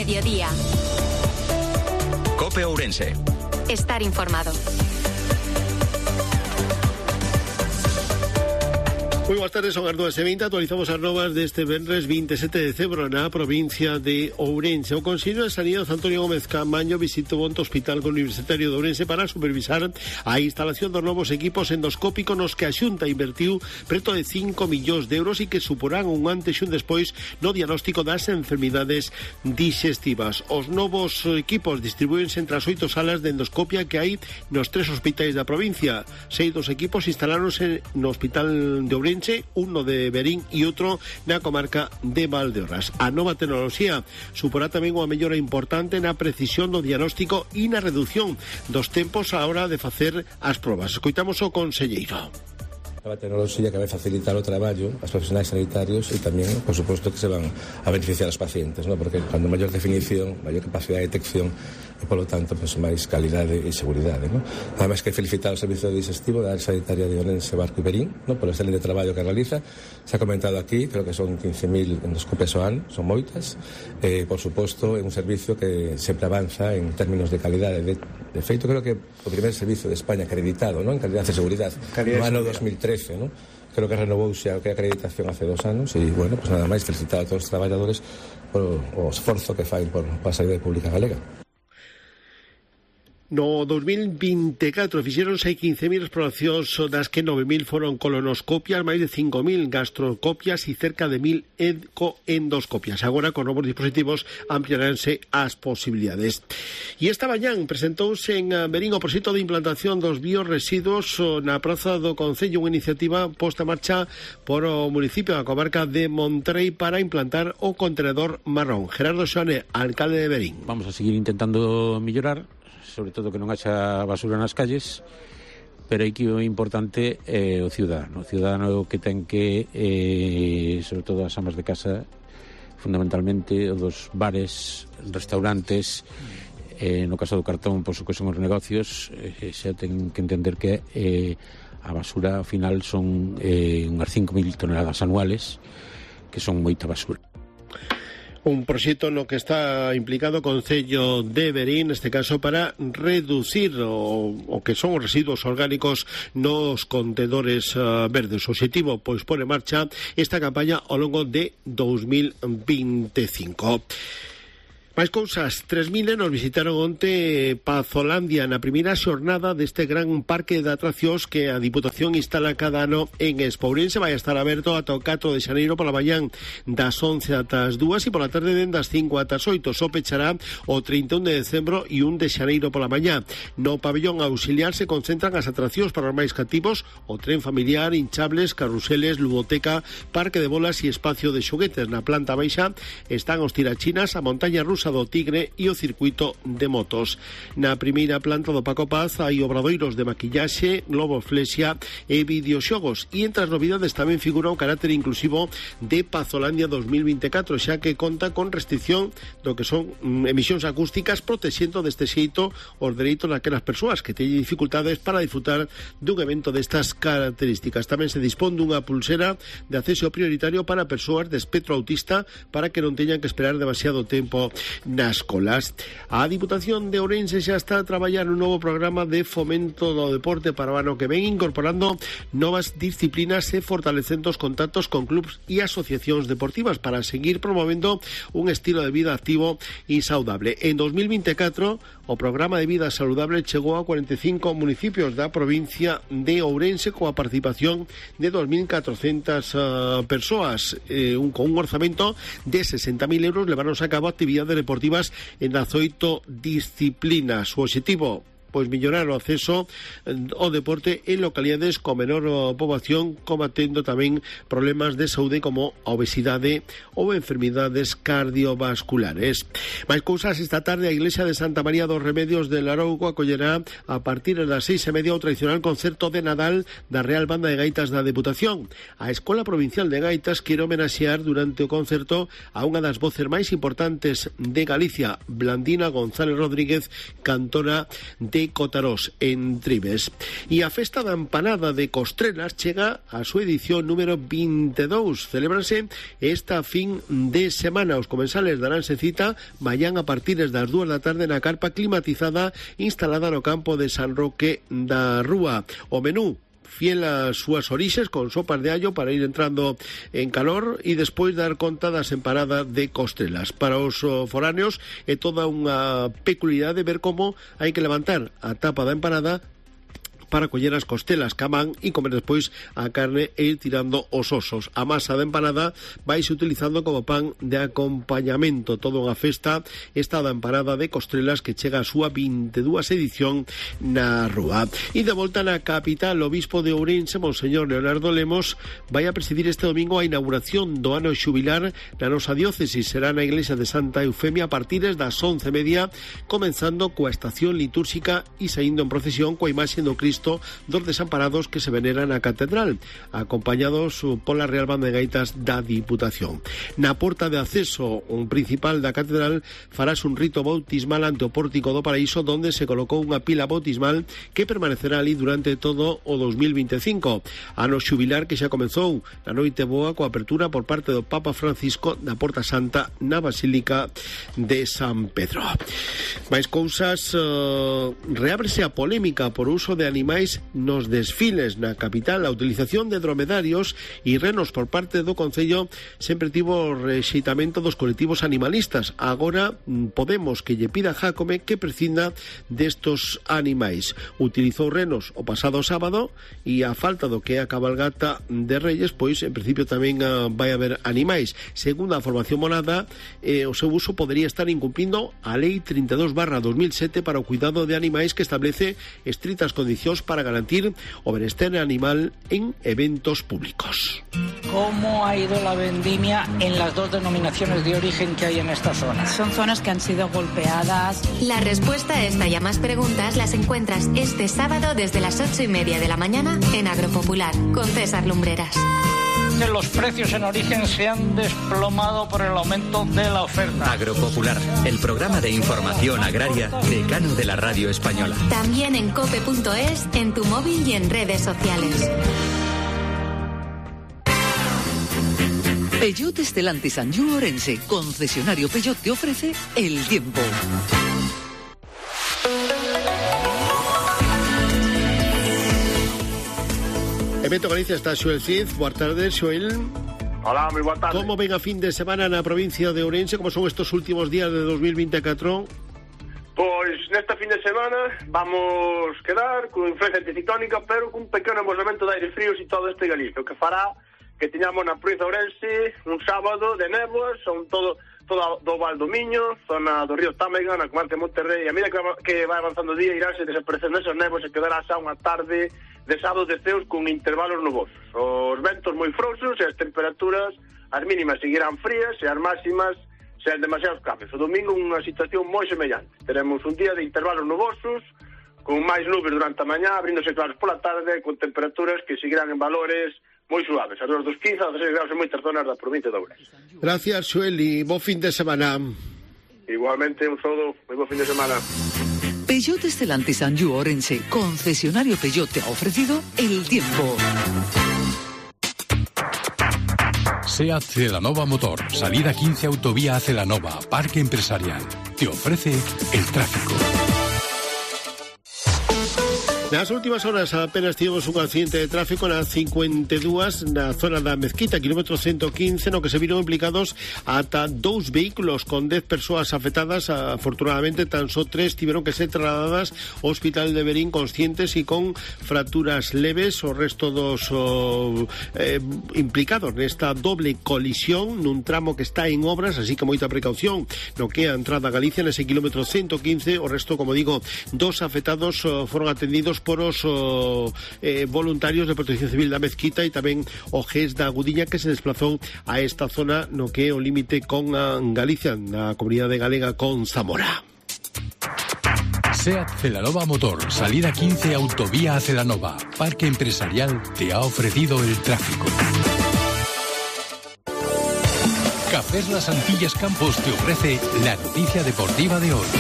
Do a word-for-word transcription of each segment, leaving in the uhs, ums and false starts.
mediodía. COPE Ourense. Estar informado. Moi boas tardes, son as dúas e vinte. Actualizamos as novas deste venres vinte e sete de decembro na provincia de Ourense. O Consello de Sanidade Antonio Gómez Camaño visitou o Hospital Universitario de Ourense para supervisar a instalación dos novos equipos endoscópicos nos que a Xunta invertiu preto de cinco millóns de euros e que suporán un antes e un despois no diagnóstico das enfermidades digestivas. Os novos equipos distribuírense entre as oito salas de endoscopia que hai nos tres hospitais da provincia. Seis dos equipos instaláronse no Hospital de Ourense, uno de Verín e outro na comarca de Valdeorras. A nova tecnoloxía suporá tamén unha mellora importante na precisión do diagnóstico e na reducción dos tempos á hora de facer as probas. Escoitamos o conselleiro. A tecnoloxía que vai facilitar o traballo aos profesionais sanitarios e tamén, por suposto, que se van a beneficiar os pacientes, ¿no? Porque cando maior definición, maior capacidade de detección e, polo tanto, pues, máis calidade e seguridade, ¿no? Nada máis que felicitar o Servicio Digestivo da área sanitaria de Ourense, Barco e Verín, ¿no? Por o excelente traballo que realiza. Se ha comentado aquí, creo que son quince mil endoscopias ao ano, son moitas. Eh, por suposto, é un servicio que sempre avanza en términos de calidade. De, de feito, creo que o primeiro servicio de España acreditado, ¿no? En calidad e seguridade, no ano dos mil trece, ¿no? Creo que renovouse a acreditación hace dos anos e, bueno, pues nada máis felicitar a todos os traballadores por o esforzo que fai por, por a sanidade pública galega. No dos mil vinte e catro fixéronse quince mil exploracións, das que nove mil foron colonoscopias, máis de cinco mil gastrocopias e cerca de mil endocoendoscopias. Agora, con novos dispositivos, ampliaránse as posibilidades. E esta mañán presentouse en Verín o proxecto de implantación dos bioresiduos na Praza do Concello, unha iniciativa posta en marcha por o municipio da comarca de Monterrey para implantar o contenedor marrón. Gerardo Xoane, alcalde de Verín. Vamos a seguir intentando mellorar, sobre todo que non haxa basura nas calles, pero aí que o importante é o ciudadano. O ciudadano que ten que, eh, sobre todo as amas de casa, fundamentalmente o dos bares, restaurantes, eh, no caso do cartón, pois o que son os negocios, eh, xa ten que entender que eh, a basura ao final son eh, unhas cinco mil toneladas anuales, que son moita basura. Un proxecto no que está implicado o Concello de Verín, neste caso para reducir o, o que son os residuos orgánicos nos contedores uh, verdes. O obxectivo, pois, pon en marcha esta campaña ao longo de dos mil veinticinco. Máis cousas, tres mil nenos visitaron onte Pazolandia na primeira xornada deste gran parque de atraccións que a Diputación instala cada ano en Expo. Ourense vai estar aberto ata o catro de xaneiro pola mañán das once ata as dúas e pola tarde den das cinco ata as oito. Só pechará o trinta e un de decembro e un de xaneiro pola mañá. No pabellón auxiliar se concentran as atraccións para os máis cativos, o tren familiar, hinchables, carruseles, ludoteca, parque de bolas e espacio de xoguetes. Na planta baixa están os tirachinas, a montaña rusa do Tigre e o circuito de motos. Na primeira planta do Paco Paz hai obradoiros de maquillaxe, globoflexia e videoxogos, e entre as novidades tamén figura o carácter inclusivo de Pazolandia dos mil vinte e catro, xa que conta con restricción do que son mm, emisións acústicas, protexendo deste xeito os dereitos daquelas persoas que teñen dificultades para disfrutar dun evento destas características. Tamén se dispón dunha pulsera de acceso prioritario para persoas de espectro autista para que non teñan que esperar demasiado tempo nas colas. A Diputación de Ourense xa está a traballar un novo programa de fomento do deporte para o ano que ven, incorporando novas disciplinas e fortalecendo os contactos con clubs e asociacións deportivas para seguir promovendo un estilo de vida activo e saudable. En dos mil vinte e catro, o programa de vida saludable chegou a cuarenta e cinco municipios da provincia de Ourense coa participación de dos mil catrocentas uh, persoas, eh, un, con un orzamento de sesenta mil euros. Levaron a cabo actividades deportivas en as oito disciplinas. O obxectivo, pois, mellorar o acceso ao deporte en localidades con menor poboación, combatendo tamén problemas de saúde como a obesidade ou enfermidades cardiovasculares. Mais cousas, esta tarde a Iglesia de Santa María dos Remedios de Larouco acollerá a partir das seis e media o tradicional concerto de Nadal da Real Banda de Gaitas da Deputación. A Escola Provincial de Gaitas quere homenaxear durante o concerto a unha das voces máis importantes de Galicia, Blandina González Rodríguez, cantora de e Cotarós, en Tribes. E a festa da empanada de Costrelas chega a súa edición número vinte e dous. Celébrase esta fin de semana. Os comensales daranse cita mañán a partir das dúas da tarde na carpa climatizada instalada no campo de San Roque da Rúa. O menú fiel ás súas orixes, con sopas de allo para ir entrando en calor e despois dar conta das empanadas de Costrelas. Para os foráneos é toda unha peculiaridade ver como hai que levantar a tapa da empanada para coller as costelas camán e comer despois a carne e ir tirando os osos. A masa de empanada vaise utilizando como pan de acompañamento. Toda unha festa esta da empanada de Costrelas que chega a súa vinte e dúas edición na Rúa. E de volta na capital, o obispo de Ourense, Monseñor Leonardo Lemos, vai a presidir este domingo a inauguración do ano xubilar na nosa diócesis. Será na iglesia de Santa Eufemia a partir das once e media, comenzando coa estación litúrxica e saindo en procesión coa imaxe do Cristo dos desamparados que se veneran na catedral, acompañados pola Real Banda de Gaitas da Diputación. Na porta de acceso un principal da catedral farás un rito bautismal ante o pórtico do Paraíso, donde se colocou unha pila bautismal que permanecerá ali durante todo o dos mil vinte e cinco, ano xubilar que xa comezou na noite boa coa apertura por parte do Papa Francisco da Porta Santa na Basílica de San Pedro. Mais cousas, uh, reábrese a polémica por uso de animais nos desfiles na capital. A utilización de dromedarios e renos por parte do Concello sempre tivo rexeitamento dos colectivos animalistas. Agora Podemos que lle pida a Jácome que prescinda destos animais. Utilizou renos o pasado sábado e a falta do que é a cabalgata de Reyes, pois en principio tamén uh, vai haber animais. Segundo a formación monada, eh, o seu uso podería estar incumplindo a Lei trinta e dos barra dos mil sete para o cuidado de animais, que establece estritas condicións para garantir o benestar animal en eventos públicos. ¿Cómo ha ido la vendimia en las dos denominaciones de origen que hay en esta zona? Son zonas que han sido golpeadas. La respuesta a esta y a más preguntas las encuentras este sábado desde las ocho y media de la mañana en Agropopular con César Lumbreras. Que los precios en origen se han desplomado por el aumento de la oferta. Agropopular, el programa de información agraria decano de la radio española. También en cope punto es, en tu móvil y en redes sociales. Peugeot Stellantis Anjou Orense, concesionario Peugeot, te ofrece el tiempo. En Beto Galicia está Xoel Cid. Boa tarde, Xoel. Hola, moi boa tarde. Como ven a fin de semana na provincia de Ourense? Como son estos últimos días de dos mil vinte e catro? Pois nesta fin de semana vamos quedar con influencia anticiclónica, pero cun pequeno movimento de aire fríos e todo este Galicia, o que fará que teñamos na provincia de Ourense un sábado de néboas, son todo todo do Val do Miño, zona do río Támega, na comarca de Monterrey. A medida que, que vai avanzando o día, iránse desaparecendo esas néboas e quedará xa unha tarde de sábados de ceos con intervalos nubosos. Os ventos moi frouxos e as temperaturas, as mínimas seguirán frías e as máximas sean demasiados cambios. O domingo unha situación moi semellante. Teremos un día de intervalos nubosos, con máis nubes durante a mañá, abríndose claros pola tarde, con temperaturas que seguirán en valores moi suaves, a dos quince a dezasseis graus en moitas zonas da provincia de Ourense. Gracias, Xoel, e bo fin de semana. Igualmente, un saúdo, moi bo fin de semana. Peugeot Stellantis Anjou Orense, concesionario Peugeot, te ha ofrecido el tiempo. SEAT Celanova Motor, salida quince autovía a Celanova, parque empresarial. Te ofrece el tráfico. Nas últimas horas apenas tivemos un accidente de tráfico na cincuenta e dúas na zona da Mezquita, kilómetro ciento quince, no que se viron implicados ata dous vehículos con dez persoas afectadas. Afortunadamente tan só tres tiveron que ser trasladadas ao hospital de Verín conscientes e con fracturas leves. O resto dos oh, eh, implicados nesta doble colisión nun tramo que está en obras, así que moita precaución no que a entrada a Galicia nese kilómetro ciento quince. O resto, como digo, dos afectados oh, foron atendidos por os oh, eh, voluntarios de Protección Civil da Mezquita e tamén o G E S da Gudiña, que se desplazou a esta zona no que é o límite con a Galicia, na comunidade galega con Zamora. SEAT Celanova Motor, salida quince autovía a Celanova, parque empresarial, te ha ofrecido el tráfico. Cafés Las Antillas Campos te ofrece la noticia deportiva de hoy.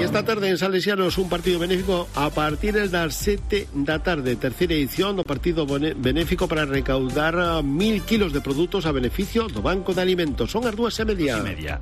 E esta tarde en Salesianos un partido benéfico a partir das sete da tarde, terceira edición do partido benéfico para recaudar mil kilos de produtos a beneficio do Banco de Alimentos. Son as dúas e media. media.